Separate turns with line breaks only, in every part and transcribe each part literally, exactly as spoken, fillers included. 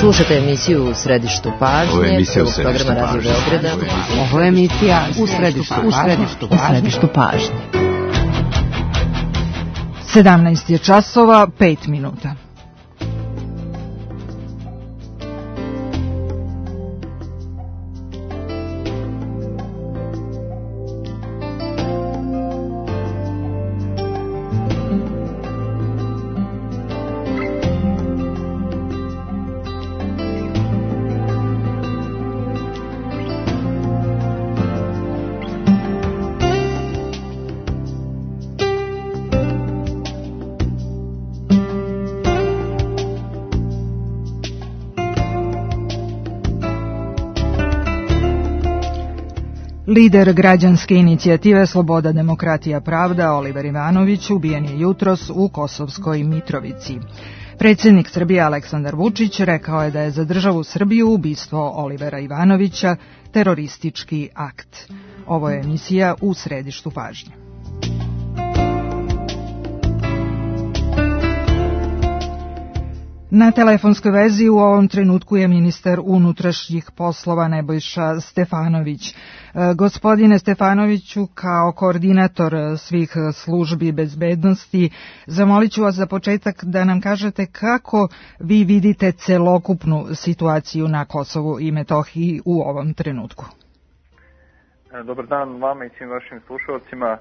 Slušajte emisiju U središtu pažnje.
Ovo je emisija U
središtu pažnje.
Ovo je emisija U središtu pažnje.
sedamnaest je časova, pet minuta. Lider građanske inicijative Sloboda, demokratija, pravda Oliver Ivanović ubijen je jutros u Kosovskoj Mitrovici. Predsjednik Srbije Aleksandar Vučić rekao je da je za državu Srbiju ubistvo Olivera Ivanovića teroristički akt. Ovo je emisija U središtu pažnje. Na telefonskoj vezi u ovom trenutku je ministar unutrašnjih poslova Nebojša Stefanović. Gospodine Stefanoviću, kao koordinator svih službi bezbednosti, zamolit ću vas za početak da nam kažete kako vi vidite celokupnu situaciju na Kosovu i Metohiji u ovom trenutku.
Dobar dan vama i svim vašim slušalcima.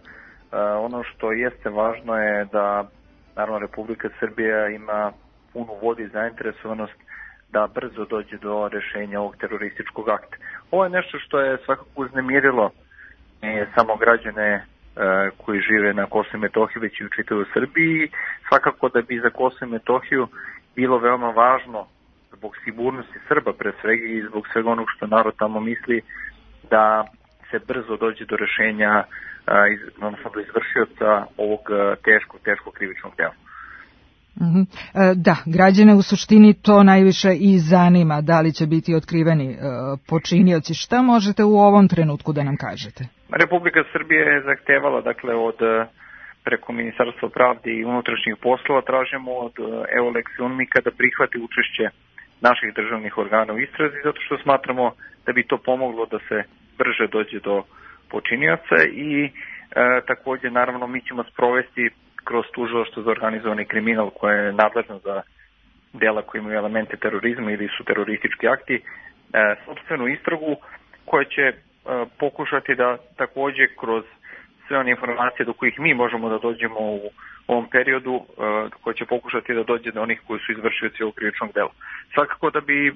Ono što jeste važno je da naravno Republika Srbija ima punu volju i zainteresovanost da brzo dođe do rešenja ovog terorističkog akta. Ovo je nešto što je svakako uznemirilo ne samo građane e, koji žive na Kosovu i Metohiji, već i u čitavoj Srbiji. Svakako da bi za Kosovo i Metohiju bilo veoma važno zbog sigurnosti Srba pre svega i zbog svega onog što narod tamo misli da se brzo dođe do rešenja, e, iz, odnosno do izvršioca ovog teškog, teškog krivičnog dela.
Mm-hmm. Da, građane u suštini to najviše i zanima, da li će biti otkriveni e, počinioci. Šta možete u ovom trenutku da nam kažete?
Republika Srbije je zahtevala, dakle, od preko Ministarstva pravde i unutrašnjih poslova, tražimo od Eulex i UNMIK-a da prihvati učešće naših državnih organa u istrazi, zato što smatramo da bi to pomoglo da se brže dođe do počinioca i e, također, naravno, mi ćemo sprovesti kroz tužilaštvo za organizovani kriminal koje je nadležno za dela koji imaju elemente terorizma ili su teroristički akti, e, sopstvenu istragu koja će e, pokušati da također kroz sve one informacije do kojih mi možemo da dođemo u ovom periodu, e, koja će pokušati da dođe do onih koji su izvršioci ovog krivičnog dela. Svakako da bi, e,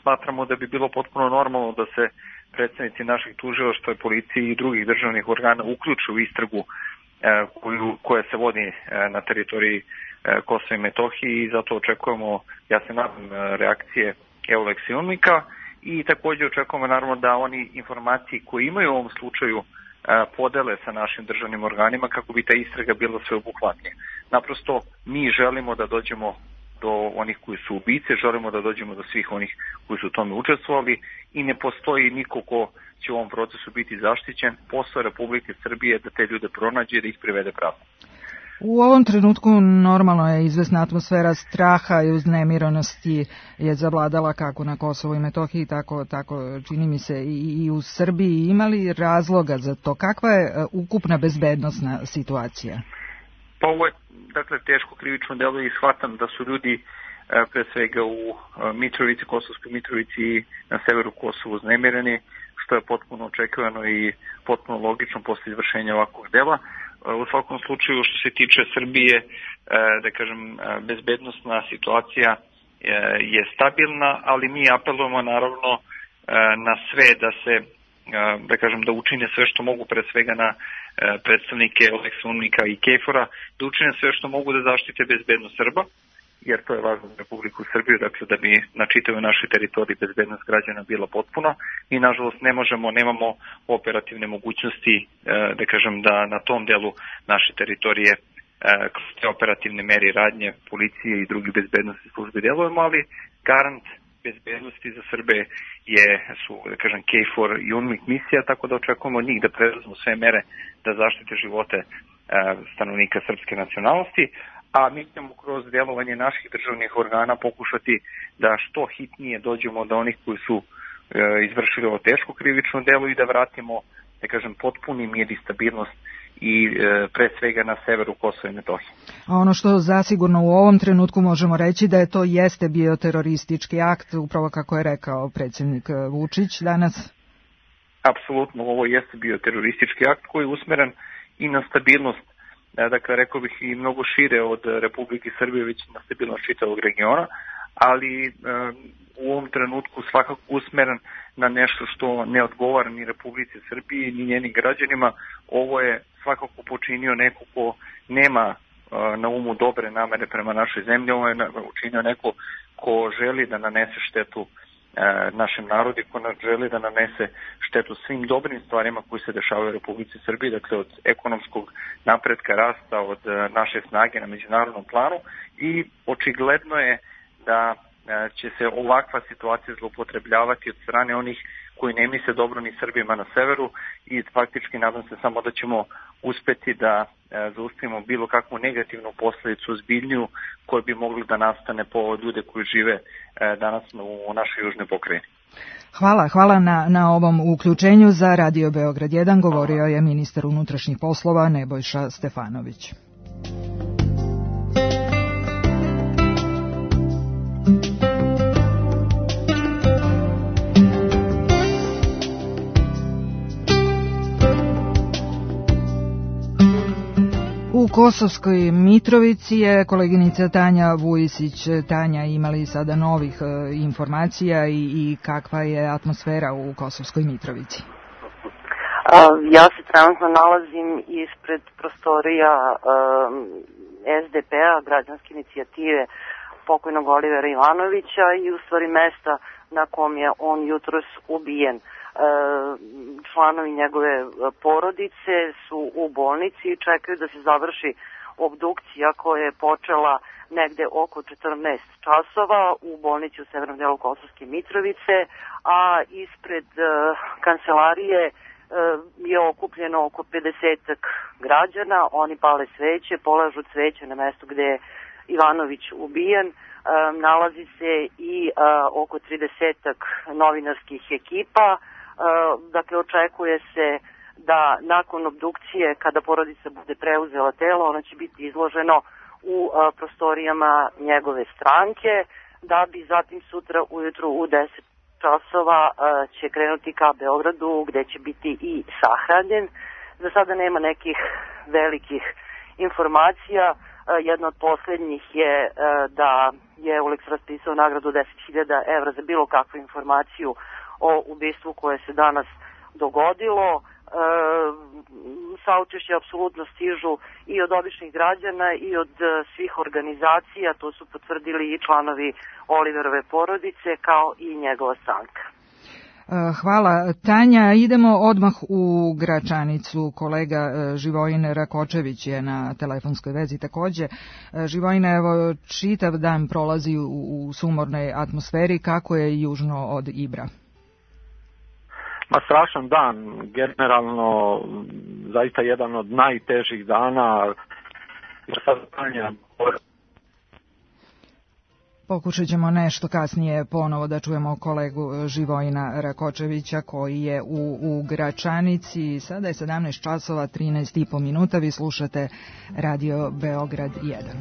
smatramo da bi bilo potpuno normalno da se predstavnici naših tužilaštva, policije i drugih državnih organa uključe u istragu Koju, koja se vodi na teritoriji Kosova i Metohiji i zato očekujemo, ja se nadam, reakcije Eulex i UNMIK-a i također očekujemo naravno da oni informacije koje imaju u ovom slučaju podele sa našim državnim organima kako bi ta istraga bila sveobuhvatnija. Naprosto mi želimo da dođemo do onih koji su ubice, želimo da dođemo do svih onih koji su u tome učestvovali i ne postoji niko ko će u ovom procesu biti zaštićen. Posao Republike Srbije da te ljude pronađe i da ih privede pravdu.
U ovom trenutku normalno je izvesna atmosfera straha i uznemirenosti je zavladala kako na Kosovu i Metohiji, tako, tako čini mi se i, i u Srbiji. Ima li razloga za to? Kakva je ukupna bezbednosna situacija?
Pa ovo je, dakle, teško krivično delo i shvatam da su ljudi pre svega u Mitrovici, Kosovskoj Mitrovici i na severu Kosova uznemireni, što je potpuno očekivano i potpuno logično posle izvršenja ovakvog dela. U svakom slučaju, što se tiče Srbije, da kažem, bezbednosna situacija je stabilna, ali mi apelujemo naravno na sve da se, da kažem, da učine sve što mogu, pre svega na predstavnike Eulex, UNMIK-a i KFOR-a, da učine sve što mogu da zaštite bezbednost Srba, jer to je važno za Republiku Srbiju, dakle da bi na čitavoj našoj teritoriji bezbednost građana bila potpuna i nažalost ne možemo, nemamo operativne mogućnosti, da kažem, da na tom delu naše teritorije kroz te operativne mere i radnje policije i drugih bezbednosti službe djelujemo, ali garant bezbednosti za Srbe je, su, da kažem, KFOR i UNMIK misija, tako da očekujemo od njih da preduzmu sve mere da zaštite živote stanovnika srpske nacionalnosti, a mi ćemo kroz djelovanje naših državnih organa pokušati da što hitnije dođemo do onih koji su izvršili ovo teško krivično delo i da vratimo, da kažem, potpuni mir i stabilnost i e, pre svega na severu Kosova i Metohije.
A ono što zasigurno u ovom trenutku možemo reći da je to jeste bio teroristički akt, upravo kako je rekao predsjednik Vučić danas?
Apsolutno, ovo jeste bio teroristički akt koji je usmeren i na stabilnost, dakle rekao bih i mnogo šire od Republike Srbije, već na stabilnost čitavog regiona, ali e, u ovom trenutku svakako usmeren na nešto što ne odgovara ni Republici Srbiji ni njenim građanima. Ovo je svakako počinio neko ko nema e, na umu dobre namere prema našoj zemlji, ovo je učinio neko ko želi da nanese štetu e, našem narodu, ko želi da nanese štetu svim dobrim stvarima koji se dešavaju u Republici Srbiji, dakle od ekonomskog napretka, rasta, od e, naše snage na međunarodnom planu, i očigledno je da će se ovakva situacija zloupotrebljavati od strane onih koji ne misle dobro ni Srbima na severu i faktički nadam se samo da ćemo uspeti da zaustavimo bilo kakvu negativnu posljedicu ozbiljniju koja bi mogla da nastane po ljude koji žive danas u našoj južnoj pokrajini.
Hvala, hvala na, na ovom uključenju. Za Radio Beograd jedan govorio je ministar unutrašnjih poslova Nebojša Stefanović. U Kosovskoj Mitrovici je koleginica Tanja Vujisić. Tanja, imali sada novih e, informacija i, i kakva je atmosfera u Kosovskoj Mitrovici?
Ja se trenutno nalazim ispred prostorija um, S D P-a, građanske inicijative pokojnog Olivera Ivanovića, i u stvari mesta na kom je on jutros ubijen. Članovi njegove porodice su u bolnici i čekaju da se završi obdukcija koja je počela negde oko četrnaest časova u bolnici u severnom delu Kosovske Mitrovice, a ispred uh, kancelarije uh, je okupljeno oko pedesetak građana. Oni pale sveće, polažu cveće na mesto gde je Ivanović ubijen. Um, nalazi se i uh, oko tridesetak novinarskih ekipa. Dakle, očekuje se da nakon obdukcije, kada porodica bude preuzela telo, ono će biti izloženo u prostorijama njegove stranke, da bi zatim sutra ujutru u deset časova će krenuti ka Beogradu, gde će biti i sahranjen. Za sada nema nekih velikih informacija. Jedna od posljednjih je da je Uleks raspisao nagradu deset hiljada evra za bilo kakvu informaciju o ubistvu koje se danas dogodilo. E, saučešće apsolutno stižu i od običnih građana i od svih organizacija, to su potvrdili i članovi Oliverove porodice kao i njegova stranka.
Hvala, Tanja. Idemo odmah u Gračanicu. Kolega Živojin Rakočević je na telefonskoj vezi takođe. Živojin, evo, čitav dan prolazi u, u sumornoj atmosferi. Kako je južno od Ibra?
Ma strašan dan, generalno zaista jedan od najtežih dana.
Pokušat ćemo nešto kasnije ponovo da čujemo kolegu Živojina Rakočevića koji je u, u Gračanici. Sada je sedamnaest časova trinaest i po minuta, vi slušate Radio Beograd jedan.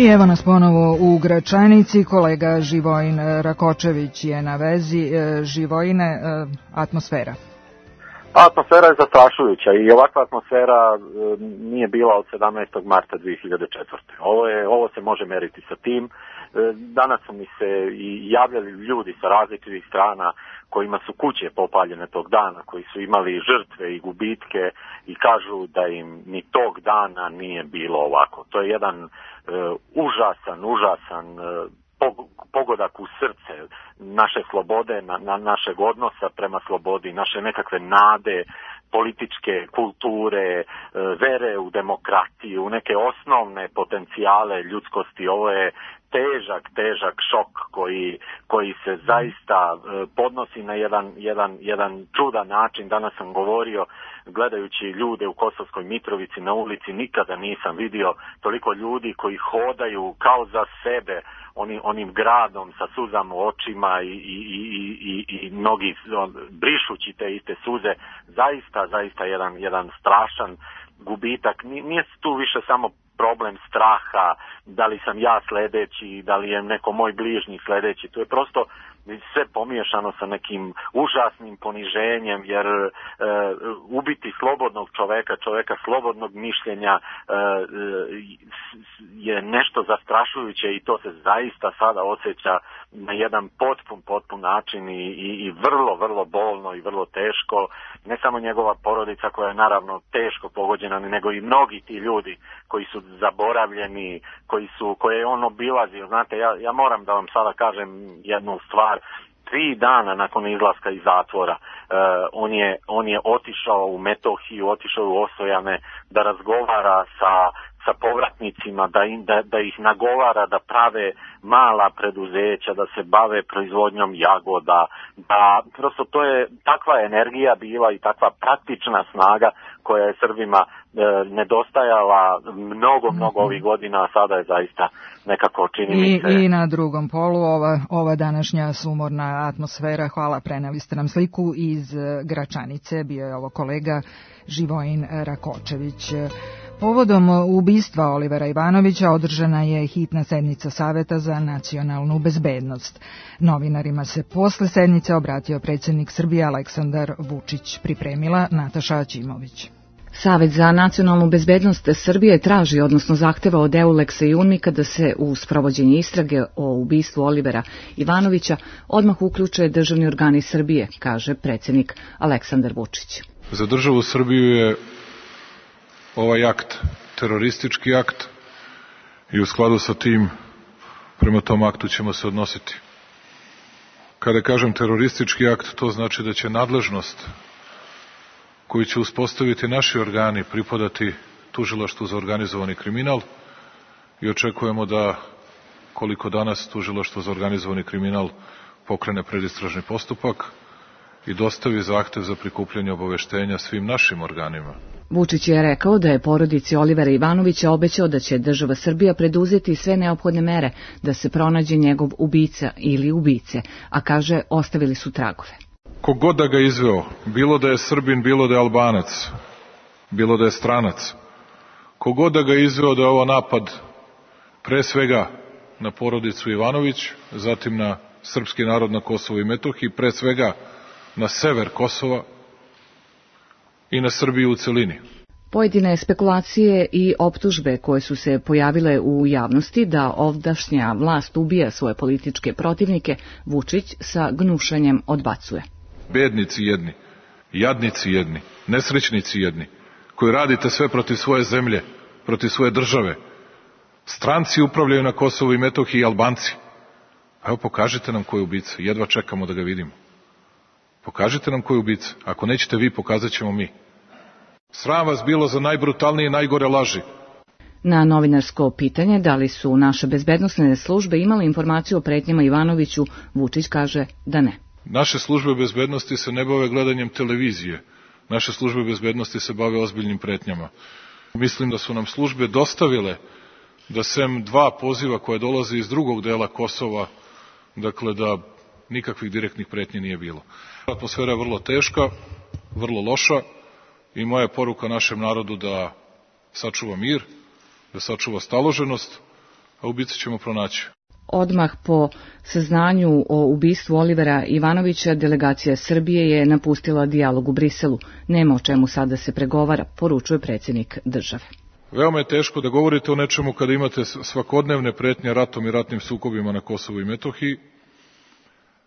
I evo nas ponovo u Gračanici, kolega Živojin Rakočević je na vezi. Živojine, atmosfera.
Atmosfera je zastrašujuća i ovakva atmosfera nije bila od sedamnaestog marta dve hiljade četvrte. Ovo, je, ovo se može meriti sa tim. Danas su mi se i javljali ljudi sa različitih strana kojima su kuće popaljene tog dana, koji su imali žrtve i gubitke i kažu da im ni tog dana nije bilo ovako. To je jedan uh, užasan, užasan uh, pogodak u srce naše slobode, na, na našeg odnosa prema slobodi, naše nekakve nade, političke kulture, vere u demokratiju, u neke osnovne potencijale ljudskosti. Ovo je težak, težak šok koji, koji se zaista podnosi na jedan, jedan, jedan čudan način. Danas sam govorio, gledajući ljude u Kosovskoj Mitrovici na ulici, nikada nisam vidio toliko ljudi koji hodaju kao za sebe, Oni, onim gradom sa suzama u očima i, i, i, i, i mnogi on, brišući te iste suze, zaista, zaista jedan, jedan strašan gubitak. Nije tu više samo problem straha, da li sam ja sledeći, da li je neko moj bližnji sledeći, to je prosto sve pomiješano sa nekim užasnim poniženjem, jer e, ubiti slobodnog čoveka, čoveka slobodnog mišljenja e, je nešto zastrašujuće i to se zaista sada osjeća na jedan potpun, potpun način i, i, i vrlo, vrlo bolno i vrlo teško. Ne samo njegova porodica koja je naravno teško pogođena, nego i mnogi ti ljudi koji su zaboravljeni, koji su, koje je on obilazio. Znate, ja, ja moram da vam sada kažem jednu stvar. Tri dana nakon izlaska iz zatvora uh, on, je, on je otišao u Metohiju, otišao u Osojane da razgovara sa, sa povratnicima, da, im, da, da ih nagovara da prave mala preduzeća, da se bave proizvodnjom jagoda, da prosto to je takva energija bila i takva praktična snaga koja je Srbima e, nedostajala mnogo, mnogo ovih godina, a sada je zaista nekako čini mi se...
I, I na drugom polu ova, ova današnja sumorna atmosfera. Hvala, preneli ste nam sliku iz Gračanice. Bio je ovo kolega Živojin Rakočević. Povodom ubistva Olivera Ivanovića održana je hitna sednica Saveta za nacionalnu bezbednost. Novinarima se posle sednice obratio predsjednik Srbije Aleksandar Vučić, pripremila Nataša Ćimović.
Savet za nacionalnu bezbednost Srbije traži, odnosno zahteva od Euleksa i UNMIK-a da se u sprovođenje istrage o ubistvu Olivera Ivanovića odmah uključe državni organi Srbije, kaže predsjednik Aleksandar Vučić.
Za državu Srbiju je ovaj akt teroristički akt i u skladu sa tim prema tom aktu ćemo se odnositi. Kada kažem teroristički akt, to znači da će nadležnost koju će uspostaviti naši organi pripadati Tužilaštvu za organizovani kriminal i očekujemo da, koliko danas Tužilaštvo za organizovani kriminal pokrene predistražni postupak i dostavi zahtev za prikupljanje obaveštenja svim našim organima.
Vučić je rekao da je porodici Olivera Ivanovića obećao da će država Srbija preduzeti sve neophodne mere da se pronađe njegov ubica ili ubice, a kaže ostavili su tragove.
Kogod da ga izveo, bilo da je Srbin, bilo da je Albanac, bilo da je stranac, kogod da ga izveo da je ovo napad pre svega na porodicu Ivanović, zatim na srpski narod na Kosovu i Metohiji, pre svega na sever Kosova i na Srbiju u celini.
Pojedine spekulacije i optužbe koje su se pojavile u javnosti da ovdašnja vlast ubija svoje političke protivnike, Vučić sa gnušanjem odbacuje.
Bednici jedni, jadnici jedni, nesrećnici jedni, koji radite sve protiv svoje zemlje, protiv svoje države. Stranci upravljaju na Kosovu i Metohiji i Albanci. Evo, pokažite nam ko je ubica, jedva čekamo da ga vidimo. Pokažite nam ko je ubica. Ako nećete vi, pokazat ćemo mi. Sram vas bilo za najbrutalnije i najgore laži.
Na novinarsko pitanje da li su naše bezbednosne službe imale informaciju o pretnjama Ivanoviću, Vučić kaže da ne.
Naše službe bezbednosti se ne bave gledanjem televizije. Naše službe bezbednosti se bave ozbiljnim pretnjama. Mislim da su nam službe dostavile da sem dva poziva koje dolaze iz drugog dela Kosova, dakle da nikakvih direktnih pretnji nije bilo. Atmosfera je vrlo teška, vrlo loša i moja poruka našem narodu da sačuva mir, da sačuva staloženost, a ubice ćemo pronaći.
Odmah po saznanju o ubistvu Olivera Ivanovića, delegacija Srbije je napustila dijalog u Briselu. Nema o čemu sada se pregovara, poručuje predsjednik države.
Veoma je teško da govorite o nečemu kada imate svakodnevne pretnje ratom i ratnim sukobima na Kosovu i Metohiji,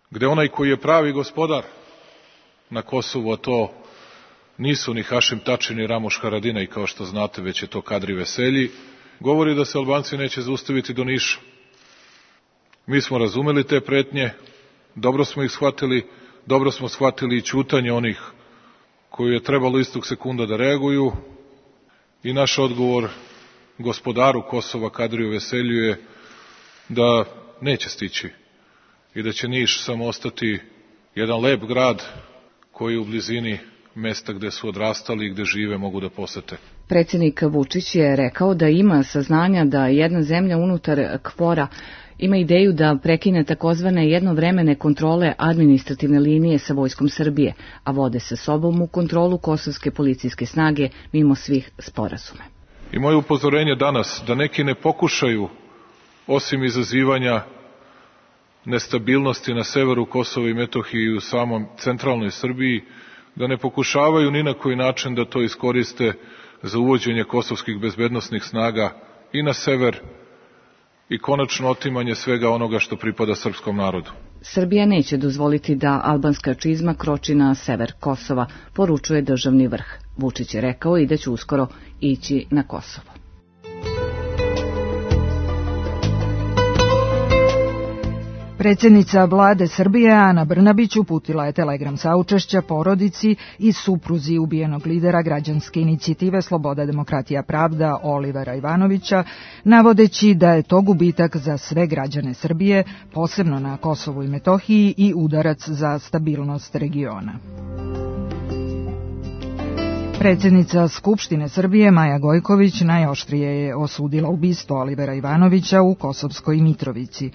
gde onaj koji je pravi gospodar na Kosovu, a to nisu ni Hašim Tači ni Ramoš Haradinaj, kao što znate, već je to Kadri Veselji, govori da se Albanci neće zaustaviti do Niša. Mi smo razumeli te pretnje, dobro smo ih shvatili, dobro smo shvatili i ćutanje onih koji je trebalo istog sekunda da reaguju i naš odgovor gospodaru Kosova Kadriju Veselju je da neće stići i da će Niš samo ostati jedan lep grad koji u blizini mesta gde su odrastali i gde žive mogu da posete.
Predsjednik Vučić je rekao da ima saznanja da jedna zemlja unutar KFOR-a ima ideju da prekine takozvane jednovremene kontrole administrativne linije sa vojskom Srbije, a vode sa sobom u kontrolu kosovske policijske snage mimo svih sporazuma.
I moje upozorenje danas da neki ne pokušaju, osim izazivanja nestabilnosti na severu Kosova i Metohije i u samom centralnoj Srbiji, da ne pokušavaju ni na koji način da to iskoriste za uvođenje kosovskih bezbednosnih snaga i na sever i konačno otimanje svega onoga što pripada srpskom narodu.
Srbija neće dozvoliti da albanska čizma kroči na sever Kosova, poručuje državni vrh. Vučić je rekao i da će uskoro ići na Kosovo.
Predsjednica vlade Srbije Ana Brnabić uputila je telegram saučešća porodici i supruzi ubijenog lidera građanske inicijative Sloboda, demokratija, pravda Olivera Ivanovića, navodeći da je to gubitak za sve građane Srbije, posebno na Kosovu i Metohiji, i udarac za stabilnost regiona. Predsjednica Skupštine Srbije Maja Gojković najoštrije je osudila ubistvo Olivera Ivanovića u Kosovskoj Mitrovici.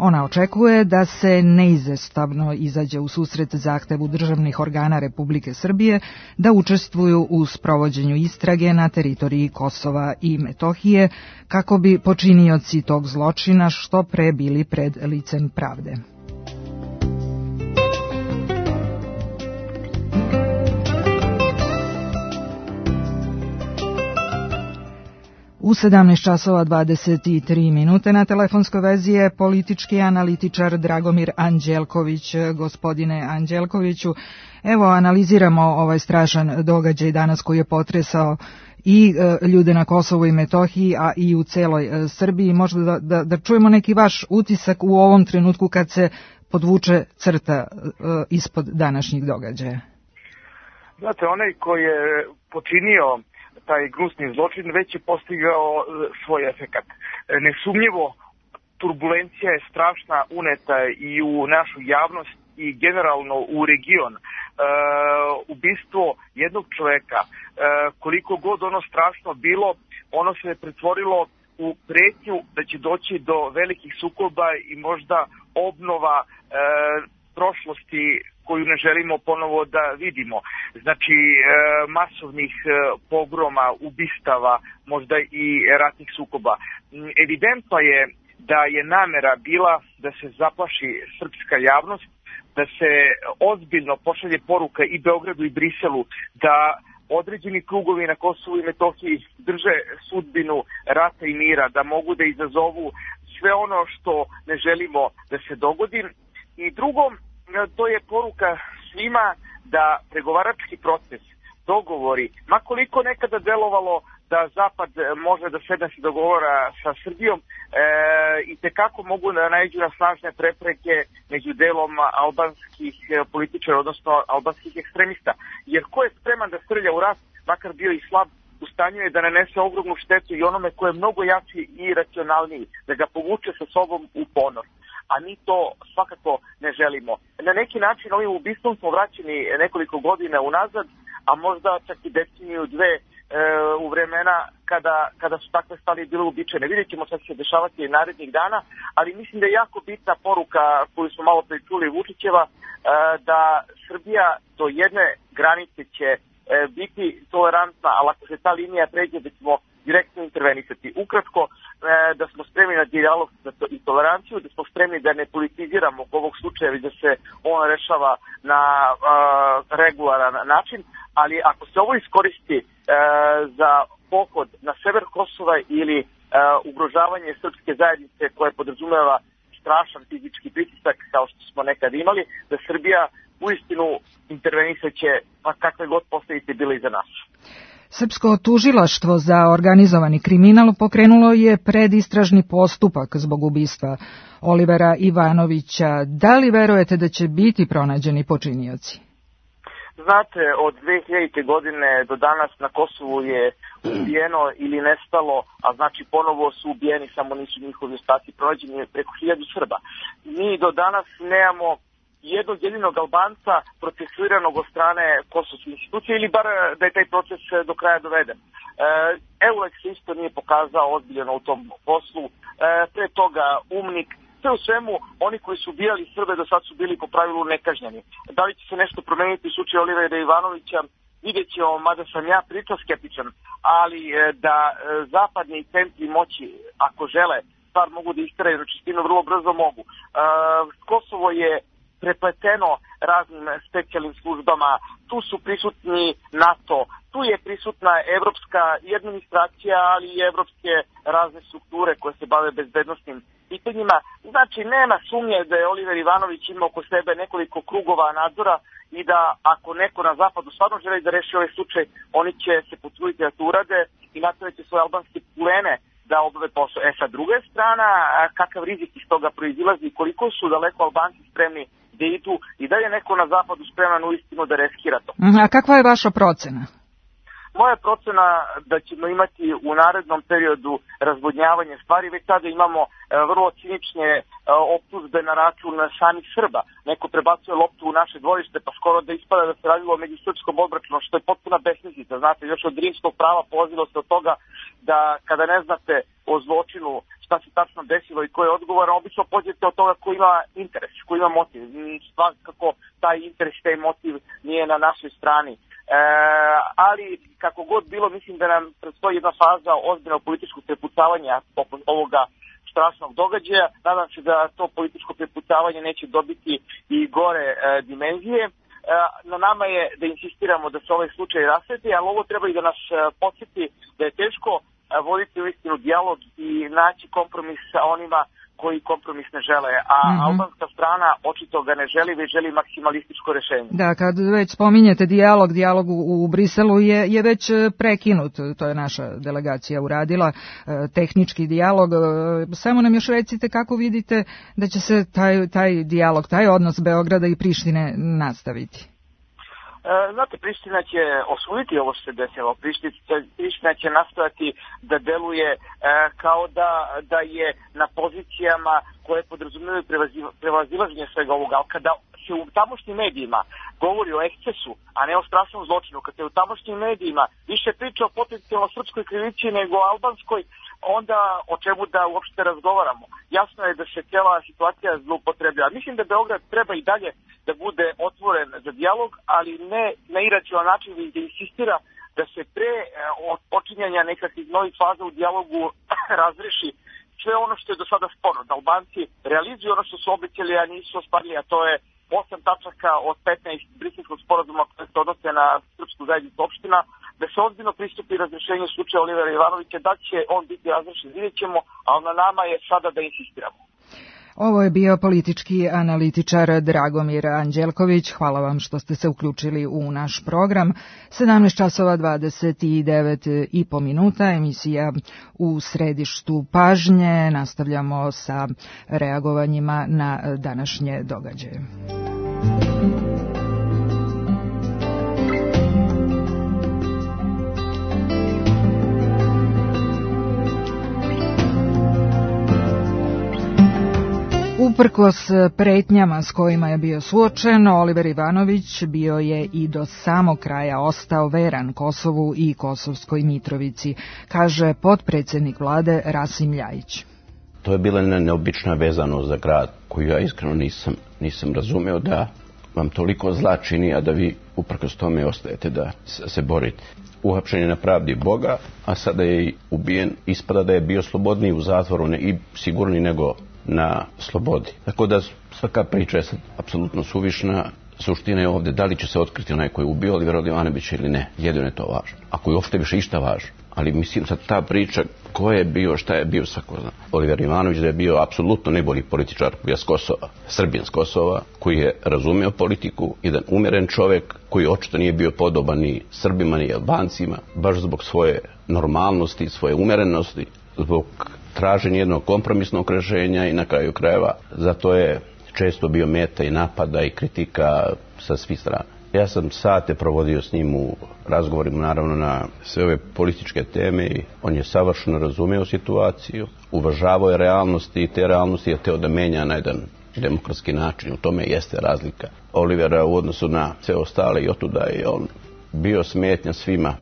Ona očekuje da se neizostavno izađe u susret zahtevu državnih organa Republike Srbije da učestvuju u sprovođenju istrage na teritoriji Kosova i Metohije kako bi počinioci tog zločina što pre bili pred licem pravde. U sedamnaest časova dvadeset tri minute na telefonskoj vezi je politički analitičar Dragomir Anđelković. Gospodine Anđelkoviću, evo analiziramo ovaj strašan događaj danas koji je potresao i e, ljude na Kosovu i Metohiji, a i u celoj e, Srbiji. Možda da, da, da čujemo neki vaš utisak u ovom trenutku kad se podvuče crta e, ispod današnjih događaja.
Znate, onaj koji je počinio taj gnusni zločin već je postigao svoj efekat. Nesumnjivo, turbulencija je strašna uneta i u našu javnost i generalno u region. E, ubistvo jednog čoveka, e, koliko god ono strašno bilo, ono se je pretvorilo u pretnju da će doći do velikih sukoba i možda obnova e, prošlosti koju ne želimo ponovo da vidimo. Znači, e, masovnih e, pogroma, ubistava, možda i ratnih sukoba. Evidentno je da je namera bila da se zaplaši srpska javnost, da se ozbiljno pošalje poruka i Beogradu i Briselu da određeni krugovi na Kosovu i Metohiji drže sudbinu rata i mira, da mogu da izazovu sve ono što ne želimo da se dogodi. I drugo, to je poruka svima da pregovarački proces, dogovori, makoliko nekada delovalo da Zapad može da sedne se dogovora sa Srbijom, e, i tekako mogu da nađu na snažne prepreke među delom albanskih političara, odnosno albanskih ekstremista. Jer ko je spreman da strlja u rat, makar bio i slab, u stanju je da nanese ogromnu štetu i onome ko je mnogo jači i racionalniji, da ga povuče sa sobom u ponor. A mi to svakako ne želimo. Na neki način ovim ubistvom smo vraćeni nekoliko godina unazad, a možda čak i deceniju dve e, u vremena kada, kada su takve stvari bile uobičajene. Vidjet ćemo šta će se dešavati narednih dana, ali mislim da je jako bitna poruka koju smo malo pre čuli Vučićeva, e, da Srbija do jedne granice će e, biti tolerantna, ali ako se ta linija pređe da ćemo direktno intervenisati. Ukratko, da smo spremni na dijalog i toleranciju, da smo spremni da ne politiziramo ovog slučaja i da se on rešava na regularan način, ali ako se ovo iskoristi za pohod na sever Kosova ili ugrožavanje srpske zajednice koje podrazumeva strašan fizički pritisak kao što smo nekad imali, da Srbija uistinu intervenisaće pa kakve god posledice bile iza nas.
Srpsko tužilaštvo za organizovani kriminal pokrenulo je predistražni postupak zbog ubistva Olivera Ivanovića. Da li verujete da će biti pronađeni počinioci?
Znate, od dve hiljadite. godine do danas na Kosovu je ubijeno ili nestalo, a znači ponovo su ubijeni, samo nisu njihovi ostaci pronađeni, preko hiljadu Srba. Mi do danas nemamo jednog jedinog Albanca procesuiranog od strane kosovske institucije ili bar da je taj proces do kraja doveden. E, Euleks se isto nije pokazao ozbiljno u tom poslu, e, pre toga Umnik, sve u svemu oni koji su ubijali Srbe do sad su bili po pravilu nekažnjeni. Da li će se nešto promeniti u slučaju Olivera Ivanovića, vidjet ćemo, mada sam ja pričao skeptičan, ali e, da e, zapadni centri moći, ako žele, stvar mogu da isteraju na čistinu, vrlo brzo mogu. E, Kosovo je prepleteno raznim specijalnim službama, tu su prisutni NATO, tu je prisutna evropska i administracija, ali i evropske razne strukture koje se bave bezbednostnim pitanjima. Znači, nema sumnje da je Oliver Ivanović imao oko sebe nekoliko krugova nadzora i da ako neko na zapadu stvarno želi da reši ovaj slučaj, oni će se potruditi da to urade i nastaviti svoje albanske pulene da obave posao. E, sa druge strana, kakav rizik iz toga proizilazi, koliko su daleko Albanci spremni da idu i da je neko na zapadu spreman u istinu da reskira to.
A kakva je vaša procena?
Moja procena da ćemo imati u narednom periodu razvodnjavanje stvari. Već sada imamo e, vrlo cinične e, optužbe na račun samih Srba. Neko prebacuje loptu u naše dvorište pa skoro da ispada da se radilo o međusrpskom obračunu, što je potpuna besmislica. Znate, još od rimskog prava polazilo se od toga da kada ne znate o zločinu šta se tačno desilo i ko je odgovoran, obično pođete od toga ko ima interes, ko ima motiv. Svakako taj interes, taj motiv nije na našoj strani. E, ali kako god bilo, mislim da nam predstoji jedna faza ozbiljnog političkog prepucavanja oko ovoga strašnog događaja. Nadam se da to političko prepucavanje neće dobiti i gore e, dimenzije. E, na nama je da insistiramo da se ovaj slučaj rasveti, ali ovo treba i da nas e, podsjeti da je teško e, voditi u istinu dijalog i naći kompromis sa onima koji kompromis ne žele, a mm-hmm. albanska strana očito ga ne želi, već želi maksimalističko rešenje.
Da, kad već spominjete dijalog, dijalog u, u Briselu je, je već prekinut, to je naša delegacija uradila, tehnički dijalog. Samo nam još recite kako vidite da će se taj, taj dijalog, taj odnos Beograda i Prištine nastaviti.
Znate, Priština će osuditi ovo što se desilo. Priština će nastojati da deluje e, kao da, da je na pozicijama koje podrazumijevaju prevazilaženje svega ovoga. Ali kada se u tamošnjim medijima govori o ekscesu, a ne o strašnom zločinu, kada se u tamošnjim medijima više priča o potencijalno srpskoj krivici nego o albanskoj, onda o čemu da uopšte razgovaramo. Jasno je da se cijela situacija zloupotrebljava. Mislim da Beograd treba i dalje da bude otvoren za dijalog, ali ne na iracionalan način, već da insistira da se pre počinjanja nekakvih novih faza u dijalogu razreši sve ono što je do sada sporno. Da Albanci realizuju ono što su obećali, a nisu ostvarili, a to je osam tačaka od petnaest briselskog sporazuma koje se odnose na srpsku zajednicu opština, da se ozbiljno pristupi razrešenju slučaja Olivera Ivanovića, da će on biti razrešen, vidjet ćemo, ali na nama je sada da insistiramo.
Ovo je bio politički analitičar Dragomir Anđelković. Hvala vam što ste se uključili u naš program. sedamnaest časova dvadeset devet i po minuta, emisija u središtu pažnje. Nastavljamo sa reagovanjima na današnje događaje. Uprkos pretnjama s kojima je bio suočen, Oliver Ivanović bio je i do samog kraja ostao veran Kosovu i Kosovskoj Mitrovici, kaže potpredsjednik vlade Rasim Ljajić.
To je bila neobična vezano za grad koju ja iskreno nisam, nisam razumeo da vam toliko zla čini, a da vi uprkos tome ostajete da se borite. Uhapšen je na pravdi Boga, a sada je i ubijen. Ispada da je bio slobodniji u zatvoru ne, i sigurniji nego na slobodi. Tako da svaka priča je sad apsolutno suvišna. Suština je ovdje da li će se otkriti onaj koji je ubio Olivera Ivanovića ili ne. Jedino je to važno. Ako je uopšte više išta važno. Ali mislim sad ta priča ko je bio, šta je bio, svako zna. Oliver Ivanović da je bio apsolutno najbolji političar s Kosova, Srbijan s Kosova, koji je razumio politiku, jedan umeren čovjek koji očito nije bio podoban ni Srbima ni Albancima, baš zbog svoje normalnosti, svoje umerenosti, zbog traženja jednog kompromisnog rješenja i na kraju krajeva zato je često bio meta i napada i kritika sa svih strana. Ja sam sate provodio s njim u razgovorima naravno na sve ove političke teme i on je savršeno razumio situaciju, uvažavao je realnosti i te realnosti je teo da menja na jedan demokratski način. U tome jeste razlika Olivera u odnosu na sve ostale i otuda je on bio smetnja svima.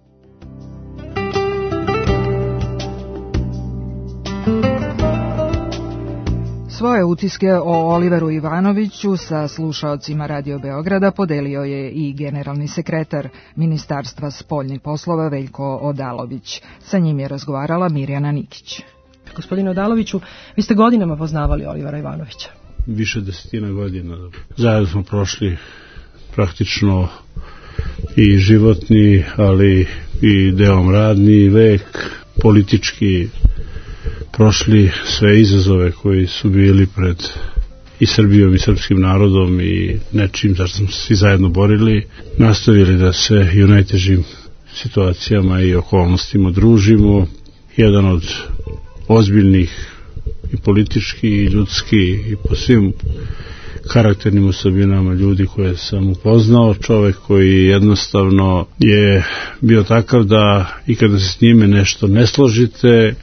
Svoje utiske o Oliveru Ivanoviću sa slušaocima Radio Beograda podelio je i generalni sekretar Ministarstva spoljnih poslova Veljko Odalović. Sa njim je razgovarala Mirjana Nikić.
Gospodine Odaloviću, vi ste godinama poznavali Olivera Ivanovića.
Više desetina godina. Zajedno smo prošli praktično i životni, ali i delom radni vek, politički prošli sve izazove koji su bili pred i Srbijom i srpskim narodom i nečim zašto smo se svi zajedno borili, nastavili da se i u najtežim situacijama i okolnostima družimo. Jedan od ozbiljnih i politički i ljudski i po svim karakternim osobinama ljudi koje sam upoznao, čovjek koji jednostavno je bio takav da i kada se s njime nešto ne složite,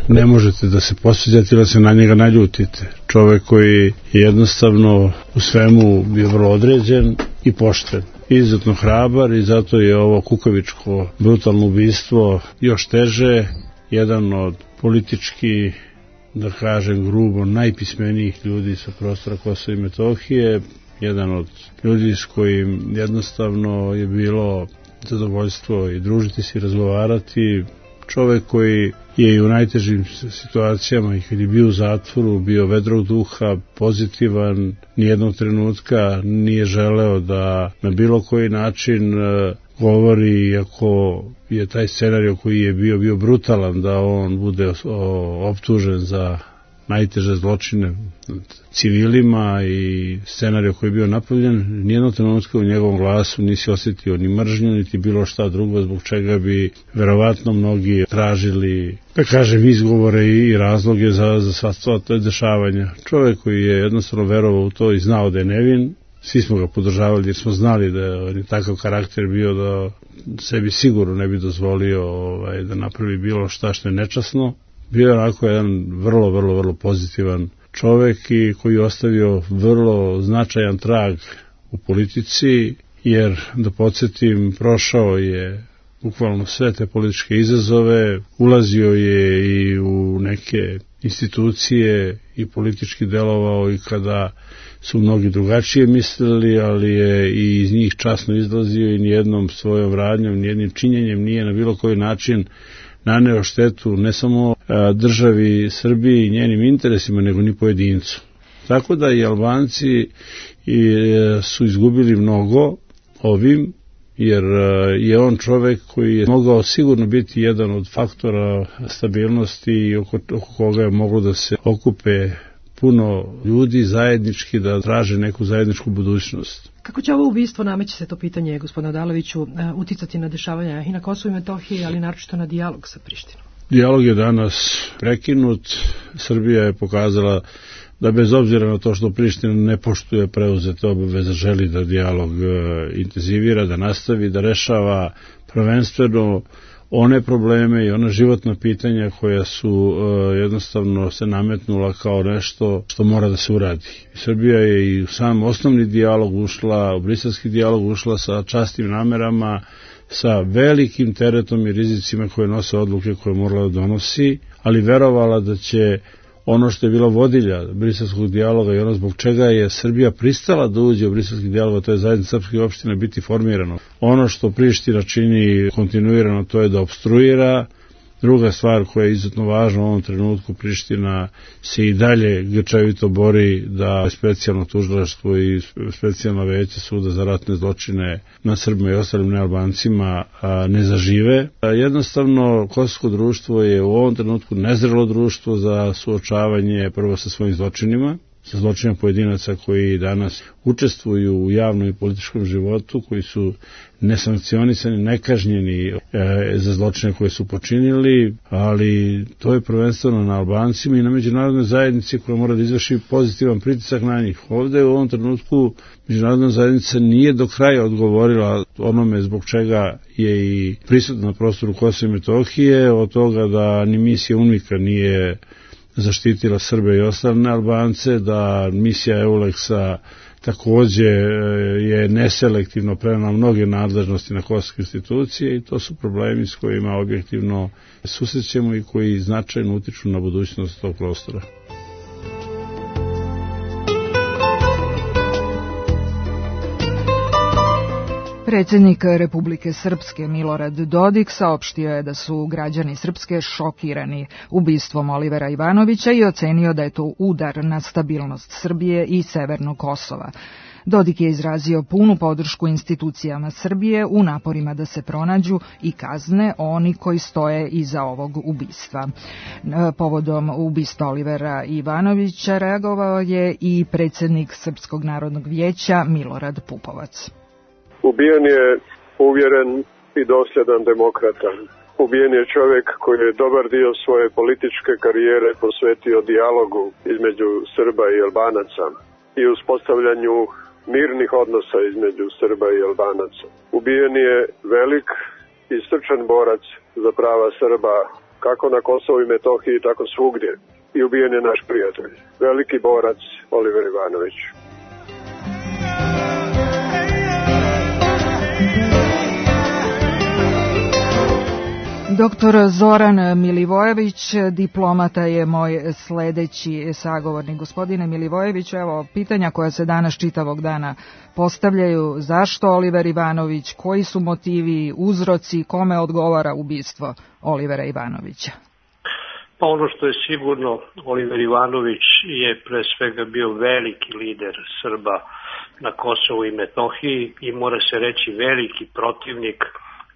ne možete da se posveđate ili da se na njega naljutite. Čovjek koji je jednostavno u svemu bio vrlo određen i pošten. Izuzetno hrabar i zato je ovo kukavičko brutalno ubistvo još teže. Jedan od politički, da kažem grubo, najpismenijih ljudi sa prostora Kosova i Metohije. Jedan od ljudi s kojim jednostavno je bilo zadovoljstvo i družiti se i razgovarati. Čovjek koji je i u najtežim situacijama i kad je bio u zatvoru, bio vedrog duha, pozitivan, nijednog trenutka nije želeo da na bilo koji način govori, iako je taj scenarij koji je bio bio brutalan, da on bude optužen za najteže zločine civilima i scenarij koji je bio napravljen, nijednog trenutka u njegovom glasu nisi osjetio ni mržnju, niti bilo šta drugo, zbog čega bi verovatno mnogi tražili, da kažem, izgovore i razloge za, za sva to dešavanja. Čovjek koji je jednostavno verovao u to i znao da je nevin, svi smo ga podržavali jer smo znali da je takav karakter bio da sebi sigurno ne bi dozvolio ovaj, da napravi bilo šta što je nečasno. Bio je onako jedan vrlo, vrlo, vrlo pozitivan čovjek i koji je ostavio vrlo značajan trag u politici, jer da podsjetim, prošao je bukvalno sve te političke izazove, ulazio je i u neke institucije i politički delovao i kada su mnogi drugačije mislili, ali je i iz njih časno izlazio i nijednom svojom radnjom, nijednim činjenjem nije na bilo koji način naneo štetu ne samo državi Srbiji i njenim interesima, nego ni pojedincu. Tako da i Albanci su izgubili mnogo ovim, jer je on čovjek koji je mogao sigurno biti jedan od faktora stabilnosti i oko, oko koga je moglo da se okupe puno ljudi zajednički da traže neku zajedničku budućnost.
Kako će ovo ubistvo, nameće se to pitanje, gospodine Odaloviću, uticati na dešavanja i na Kosovu i Metohiji, ali naročito na dijalog sa Prištinom?
Dijalog je danas prekinut. Srbija je pokazala da bez obzira na to što Priština ne poštuje preuzete obaveze, želi da dijalog intenzivira, da nastavi, da rešava prvenstveno one probleme i ona životna pitanja koja su uh, jednostavno se nametnula kao nešto što mora da se uradi. Srbija je i u sam osnovni dijalog ušla, u briselski dijalog ušla sa častim namerama, sa velikim teretom i rizicima koje nose odluke koje morala da donosi, ali verovala da će ono što je bila vodilja briselskog dijaloga i ono zbog čega je Srbija pristala da uđe u briselski dijalog, to je zajednica srpskih opština biti formirano. Ono što Priština čini kontinuirano, to je da obstruira. Druga stvar koja je izuzetno važna u ovom trenutku, Priština se i dalje grčevito bori da specijalno tužilaštvo i specijalno veće suda za ratne zločine na Srbima i ostalim nealbancima ne zažive. Jednostavno, kosovsko društvo je u ovom trenutku nezrelo društvo za suočavanje prvo sa svojim zločinima, sa zločinima pojedinaca koji danas učestvuju u javnom i političkom životu, koji su nesankcionisani, nekažnjeni e, za zločine koje su počinili, ali to je prvenstveno na Albancima i na međunarodnoj zajednici koja mora da izvrši pozitivan pritisak na njih. Ovde u ovom trenutku međunarodna zajednica nije do kraja odgovorila onome zbog čega je i prisutna na prostoru Kosova i Metohije, od toga da ni misija UNMIK-a nije zaštitila Srbe i ostale Albance, da misija Euleksa takođe je neselektivno prenela mnoge nadležnosti na kosovske institucije i to su problemi s kojima objektivno susrećemo i koji značajno utiču na budućnost tog prostora.
Predsjednik Republike Srpske Milorad Dodik saopštio je da su građani Srpske šokirani ubistvom Olivera Ivanovića i ocenio da je to udar na stabilnost Srbije i Severnog Kosova. Dodik je izrazio punu podršku institucijama Srbije u naporima da se pronađu i kazne oni koji stoje iza ovog ubistva. Povodom ubistva Olivera Ivanovića reagovao je i predsjednik Srpskog narodnog vijeća Milorad Pupovac.
Ubijen je uvjeren i dosljedan demokrata. Ubijen je čovjek koji je dobar dio svoje političke karijere posvetio dijalogu između Srba i Albanaca i uspostavljanju mirnih odnosa između Srba i Albanaca. Ubijen je velik i srčan borac za prava Srba kako na Kosovu i Metohiji, tako svugdje. I ubijen je naš prijatelj, veliki borac Oliver Ivanović.
Doktor Zoran Milivojević, diplomata, je moj sledeći sagovornik. Gospodine Milivojević, evo pitanja koja se danas čitavog dana postavljaju. Zašto Oliver Ivanović? Koji su motivi, uzroci, kome odgovara ubistvo Olivera Ivanovića?
Pa ono što je sigurno, Oliver Ivanović je pre svega bio veliki lider Srba na Kosovu i Metohiji i mora se reći veliki protivnik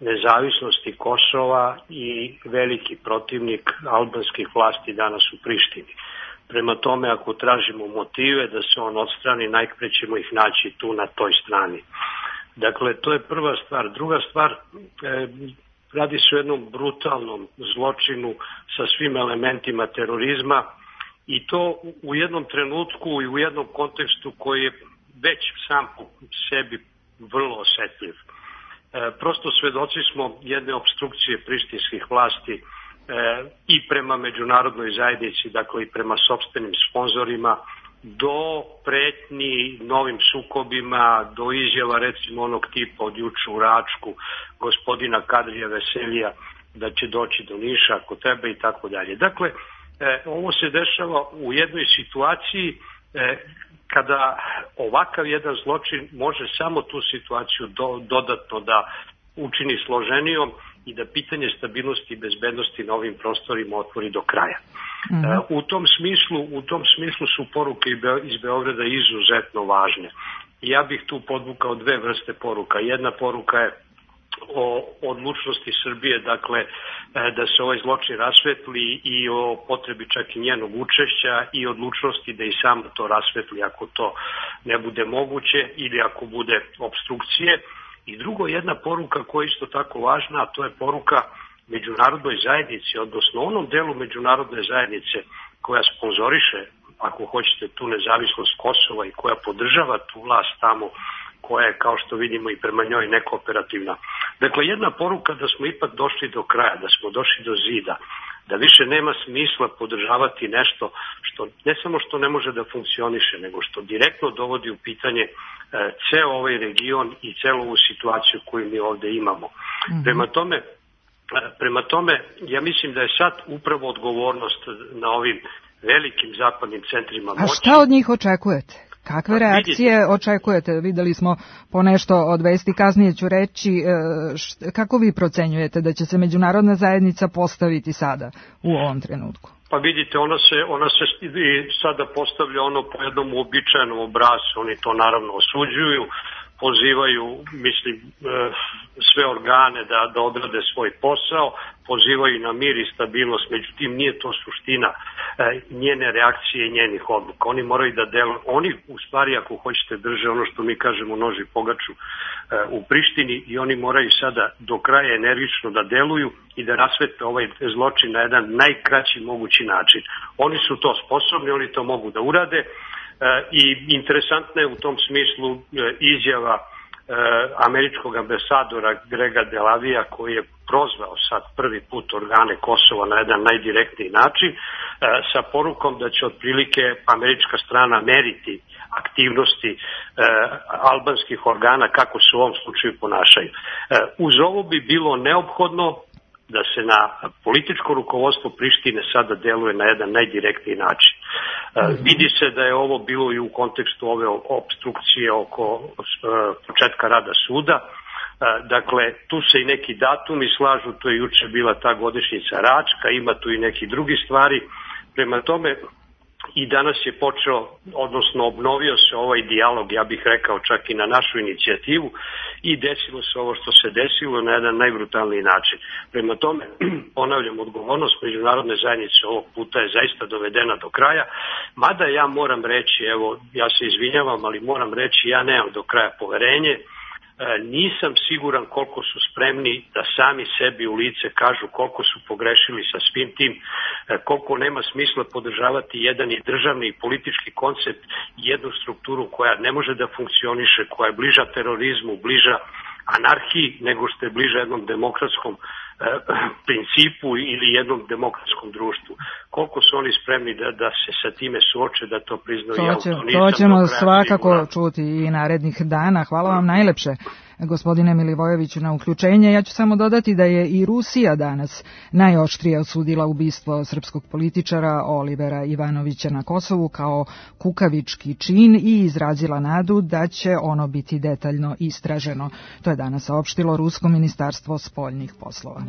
nezavisnosti Kosova i veliki protivnik albanskih vlasti danas u Prištini. Prema tome, ako tražimo motive da se on odstrani, najpre ćemo ih naći tu na toj strani. Dakle, to je prva stvar. Druga stvar, e, radi se o jednom brutalnom zločinu sa svim elementima terorizma i to u jednom trenutku i u jednom kontekstu koji je već sam po sebi vrlo osetljiv. Prosto svedoci smo jedne opstrukcije prištinskih vlasti e, i prema međunarodnoj zajednici, dakle i prema sopstvenim sponzorima, do pretnji novim sukobima, do izjava recimo onog tipa od juče u Račku, gospodina Kadrija Veselija, da će doći do Niša ako treba i tako dalje. Dakle, e, ovo se dešava u jednoj situaciji e, kada ovakav jedan zločin može samo tu situaciju do, dodatno da učini složenijom i da pitanje stabilnosti i bezbednosti na ovim prostorima otvori do kraja. Mm-hmm. E, u tom smislu, u tom smislu su poruke iz Beograda izuzetno važne. Ja bih tu podvukao dve vrste poruka. Jedna poruka je o odlučnosti Srbije, dakle da se ovaj zločin rasvetli i o potrebi čak i njenog učešća i odlučnosti da i sam to rasvetli ako to ne bude moguće ili ako bude obstrukcije. I drugo, jedna poruka koja je isto tako važna, a to je poruka međunarodnoj zajednici, odnosno onom delu međunarodne zajednice koja sponzoriše, ako hoćete, tu nezavisnost Kosova i koja podržava tu vlast tamo, koja je, kao što vidimo, i prema njoj nekooperativna. Dakle, jedna poruka da smo ipak došli do kraja, da smo došli do zida, da više nema smisla podržavati nešto što ne samo što ne može da funkcioniše, nego što direktno dovodi u pitanje e, ceo ovaj region i celu ovu situaciju koju mi ovde imamo. Mm-hmm. Prema tome, Prema tome, ja mislim da je sad upravo odgovornost na ovim velikim zapadnim centrima moći.
A šta od njih očekujete? Kakve reakcije očekujete? Videli smo po nešto od vesti, kasnije ću reći. Kako vi procenjujete da će se međunarodna zajednica postaviti sada u ovom trenutku?
Pa vidite, ona se, ona se sada postavlja ono po jednom uobičajenom obrascu, oni to naravno osuđuju, pozivaju, mislim, sve organe da, da odrade svoj posao, pozivaju na mir i stabilnost, međutim nije to suština njene reakcije i njenih odluka. Oni moraju da deluju, oni u stvari ako hoćete drže ono što mi kažemo noži pogaču u Prištini i oni moraju sada do kraja energično da deluju i da rasvete ovaj zločin na jedan najkraći mogući način. Oni su to sposobni, oni to mogu da urade i interesantna je u tom smislu izjava američkog ambasadora Grega Delavija koji je prozvao sad prvi put organe Kosova na jedan najdirektniji način sa porukom da će otprilike američka strana meriti aktivnosti e, albanskih organa kako se u ovom slučaju ponašaju. E, uz ovo bi bilo neophodno da se na političko rukovodstvo Prištine sada deluje na jedan najdirektniji način. E, vidi se da je ovo bilo i u kontekstu ove opstrukcije oko e, početka rada suda. E, dakle, tu se i neki datumi slažu, to je juče bila ta godišnjica Račka, ima tu i neki drugi stvari. Prema tome, i danas je počeo, odnosno obnovio se ovaj dijalog, ja bih rekao čak i na našu inicijativu i desilo se ovo što se desilo na jedan najbrutalniji način. Prema tome, ponavljam, odgovornost međunarodne zajednice ovog puta je zaista dovedena do kraja, mada ja moram reći, evo, ja se izvinjavam, ali moram reći, ja nemam do kraja poverenje, nisam siguran koliko su spremni da sami sebi u lice kažu koliko su pogrešili sa svim tim, koliko nema smisla podržavati jedan i državni i politički koncept, jednu strukturu koja ne može da funkcioniše, koja je bliža terorizmu, bliža anarhiji nego što je bliža jednom demokratskom principu ili jednom demokratskom društvu. Koliko su oni spremni da, da se sa time suoče, da to priznaju?
To, će, to ćemo svakako siguran. čuti i narednih dana. Hvala vam najlepše, gospodine Milivojeviću, na uključenje. Ja ću samo dodati da je i Rusija danas najoštrije osudila ubistvo srpskog političara Olivera Ivanovića na Kosovu kao kukavički čin i izrazila nadu da će ono biti detaljno istraženo. To je danas saopštilo Rusko ministarstvo spoljnih poslova.